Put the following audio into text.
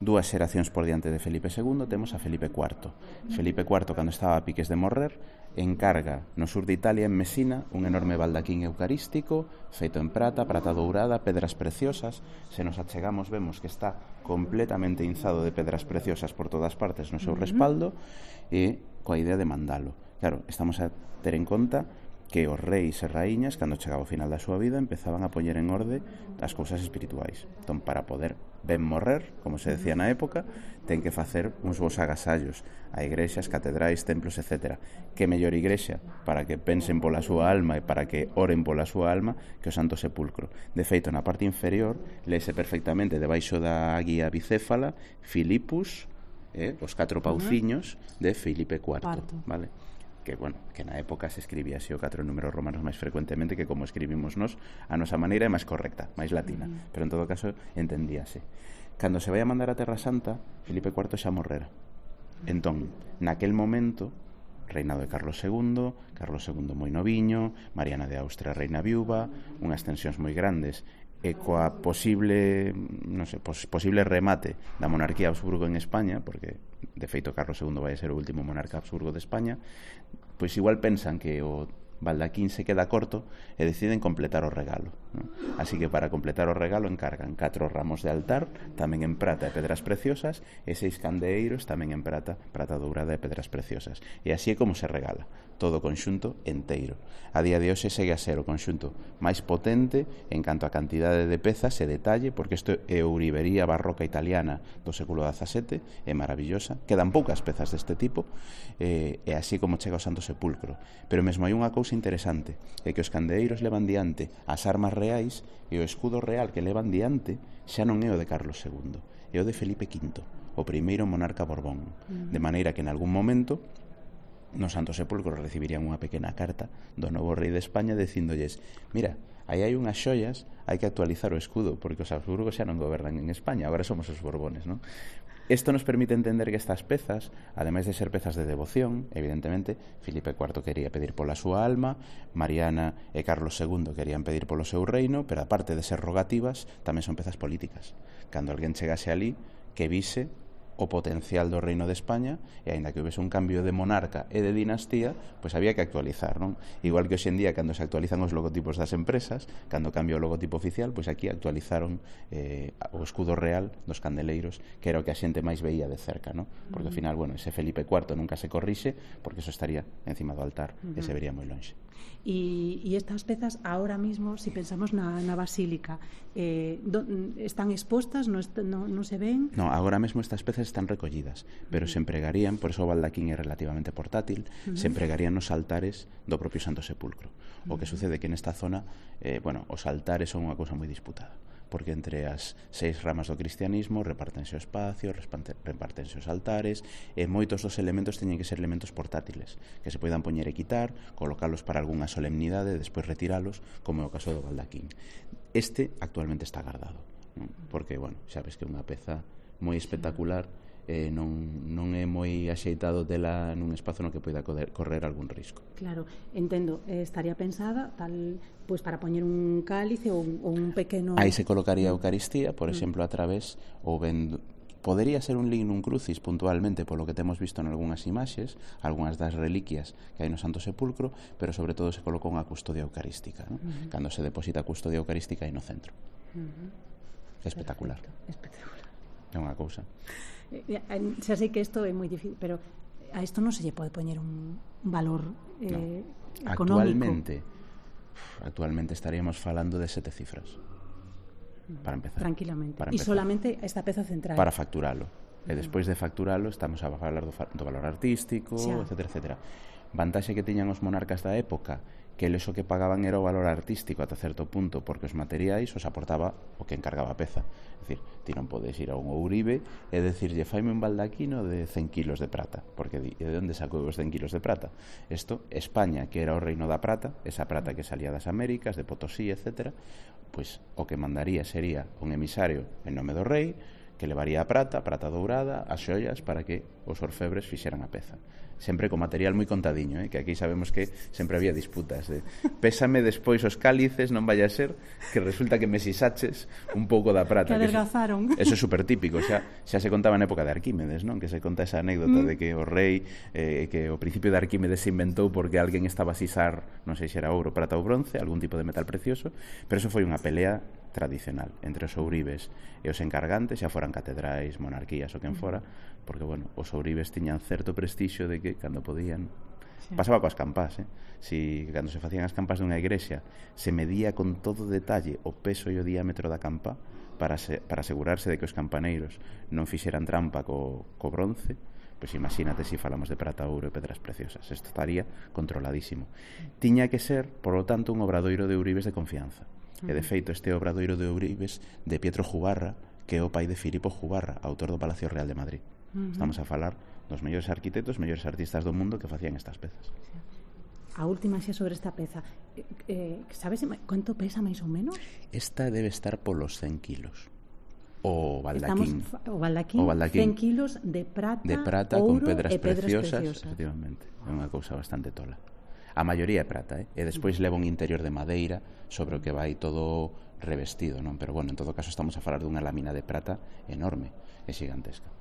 Dúas xeracións por diante de Felipe II temos a Felipe IV. Felipe IV, cando estaba a piques de morrer, encarga no sur de Italia, en Mesina, un enorme baldaquín eucarístico feito en prata, prata dourada, pedras preciosas. Se nos achegamos vemos que está completamente inzado de pedras preciosas por todas partes no seu respaldo, e coa idea de mandalo. Claro, estamos a ter en conta que os reis e raíñas, cando chegaba ao final da súa vida, empezaban a poñer en orde as cousas espirituais. Entón, para poder ben morrer, como se decía na época, ten que facer uns bons agasallos a igrexas, catedrais, templos, etc. Que mellor igrexa para que pensen pola súa alma e para que oren pola súa alma que o Santo Sepulcro. De feito, na parte inferior, lese perfectamente debaixo da guía bicéfala Filipus, os 4 pauciños de Filipe IV, vale? Que, bueno, que na época se escribía así o 4 números romanos máis frecuentemente que como escribimos nós, a nosa maneira é máis correcta, máis latina, pero en todo caso entendíase. Cando se vai a mandar a Terra Santa, Filipe IV xa morrera. Entón, naquel momento, reinado de Carlos II moi noviño, Mariana de Austria reina viúva, unhas tensións moi grandes, e coa posible, non sei, posible remate da monarquía Habsburgo en España, porque de feito Carlos II vai ser o último monarca Habsburgo de España, pois igual pensan que o baldaquín se queda corto e deciden completar o regalo, non? Así que para completar o regalo encargan 4 ramos de altar, tamén en prata e pedras preciosas, e 6 candeeiros tamén en prata, prata dourada e pedras preciosas. E así é como se regala, todo o conxunto enteiro. A día de hoxe segue a ser o conxunto máis potente en canto a cantidade de pezas e detalle, porque isto é ourivería barroca italiana do século XVII, é maravillosa, quedan poucas pezas deste tipo, e así como chega ao Santo Sepulcro. Pero mesmo hai unha cousa interesante, é que os candeeiros levan diante as armas reais e o escudo real que levan diante xa non é o de Carlos II, é o de Felipe V, o primeiro monarca Borbón, de maneira que en algún momento no Santo Sepulcro recibirían unha pequena carta do novo rei de España dicíndolles: mira, aí hai unhas xoias, hai que actualizar o escudo porque os Habsburgos xa non gobernan en España, agora somos os Borbones, non? Isto nos permite entender que estas pezas, ademais de ser pezas de devoción, evidentemente, Filipe IV quería pedir pola súa alma, Mariana e Carlos II querían pedir polo seu reino, pero aparte de ser rogativas, tamén son pezas políticas. Cando alguén chegase ali, que vise o potencial do reino de España, e aínda que houvese un cambio de monarca e de dinastía, pois había que actualizar, non? Igual que hoxe en día, cando se actualizan os logotipos das empresas, cando cambia o logotipo oficial, pois aquí actualizaron o escudo real dos candeleiros, que era o que a xente máis veía de cerca, non? Porque ao final, bueno, ese Felipe IV nunca se corrixe, porque eso estaría encima do altar e se vería moi lonxe. E estas pezas, ahora mismo, si pensamos na basílica, están expostas, non se ven? No, agora mesmo estas pezas están recollidas, pero se empregarían, por eso o baldaquín é relativamente portátil, se empregarían nos altares do propio Santo Sepulcro. O que sucede que nesta zona, bueno, os altares son unha cousa moi disputada, porque entre as 6 ramas do cristianismo repártense o espacio, repártense os altares, e moitos dos elementos teñen que ser elementos portátiles, que se poidan poñer e quitar, colocalos para algunha solemnidade e despois retiralos, como é o caso do baldaquín. Este actualmente está guardado, non? Porque, bueno, xa ves que é unha peza moi espectacular, non é moi axeitado dela nun espazo no que poida correr algún risco. Claro, entendo, estaría pensada tal, pois para poñer un cálice ou un pequeno... Aí se colocaría a Eucaristía, por exemplo, a través ou ben... Podería ser un lignum crucis puntualmente polo que temos visto en algunhas imaxes, algunhas das reliquias que hai no Santo Sepulcro, pero sobre todo se colocou unha custodia eucarística, ¿no? Cando se deposita a custodia eucarística aí no centro. É espectacular. Espectacular. É unha cousa. Xa sei que isto é moi difícil, pero a isto non se lle pode poñer un valor económico. Actualmente estaríamos falando de 7 cifras. Para empezar. Tranquilamente. E solamente esta peza central. Para facturalo. E despois de facturalo estamos a falar do valor artístico, etcétera, etcétera. Vantaxe que tiñan os monarcas da época, que eles o que pagaban era o valor artístico ata certo punto, porque os materiais os aportaba o que encargaba a peza. É dicir, ti non podes ir a un ourive e decirlle faime un baldaquino de 100 kilos de prata, porque de onde sacou os 100 kilos de prata? Isto, España, que era o reino da prata, esa prata que salía das Américas, de Potosí, etcétera, pois o que mandaría sería un emisario en nome do rei, que levaría a prata dourada, as xoias, para que os orfebres fixeran a peza. Sempre con material moi contadiño, que aquí sabemos que sempre había disputas de pésame despois os cálices, non vaya a ser que resulta que me sisaches un pouco da prata. Que adelgazaron. Eso é super típico, xa se contaba na época de Arquímedes, non? Que se conta esa anécdota de que o rei, que o principio de Arquímedes se inventou porque alguén estaba a sisar, non sei se era ouro, prata ou bronce, algún tipo de metal precioso, pero eso foi unha pelea tradicional entre os ouribes e os encargantes, xa foran catedrais, monarquías ou quen fora, porque, bueno, os ouribes tiñan certo prestixio de que cando podían pasaba coas campás, si cando se facían as campás dunha igrexa se medía con todo detalle o peso e o diámetro da campa para asegurarse de que os campaneiros non fixeran trampa co bronce, pois imagínate se falamos de prata, ouro e pedras preciosas, isto estaría controladísimo. Tiña que ser, por lo tanto, un obradoiro de ouribes de confianza. E de feito este obradoiro de ouribes de Pietro Jubarra, que é o pai de Filipo Jubarra, autor do Palacio Real de Madrid. Estamos a falar dos mellores arquitectos, mellores artistas do mundo que facían estas pezas. A última xa sobre esta peza, sabes quanto pesa máis ou menos? Esta debe estar polos 100 kilos. O baldaquín, 100 kilos de prata con ouro pedras e pedras preciosas, preciosas. efectivamente, é unha cousa bastante tola. A maioría é prata, e despois leva un interior de madeira sobre o que vai todo revestido, non? Pero bueno, en todo caso estamos a falar dunha lámina de prata enorme e xigantesca.